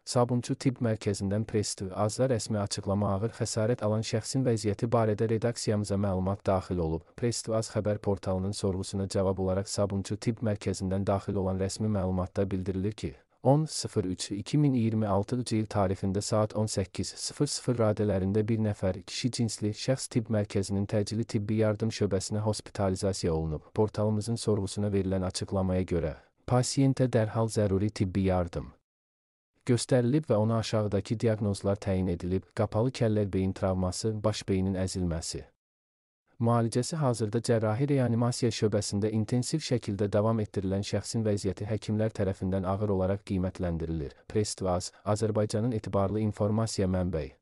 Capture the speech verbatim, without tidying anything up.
Sabunçu Tibb Mərkəzindən Press-T V-A rəsmi açıqlama ağır xəsarət alan şəxsin vəziyyəti barədə redaksiyamıza məlumat daxil olub. Press-T V-A xəbər portalının sorğusuna cavab olaraq Sabunçu Tibb Mərkəzindən daxil olan rəsmi məlumatda bildirilir ki, on üç iki min iyirmi altıncı il tarixində saat on səkkiz sıfır sıfır radələrində bir nəfər kişi cinsli şəxs tibb mərkəzinin təcili tibbi yardım şöbəsinə hospitalizasiya olunub. Portalımızın sorğusuna verilən açıqlamaya görə, pasiyentə dərhal zəruri tibbi yardım göstərilib və ona aşağıdakı diaqnozlar təyin edilib: qapalı kəllə beyin travması, baş beynin əzilməsi. Müalicəsi hazırda cərrahi reanimasiya şöbəsində intensiv şəkildə davam etdirilən şəxsin vəziyyəti həkimlər tərəfindən ağır olaraq qiymətləndirilir. Press-T V-A, Azərbaycanın etibarlı informasiya mənbəyi.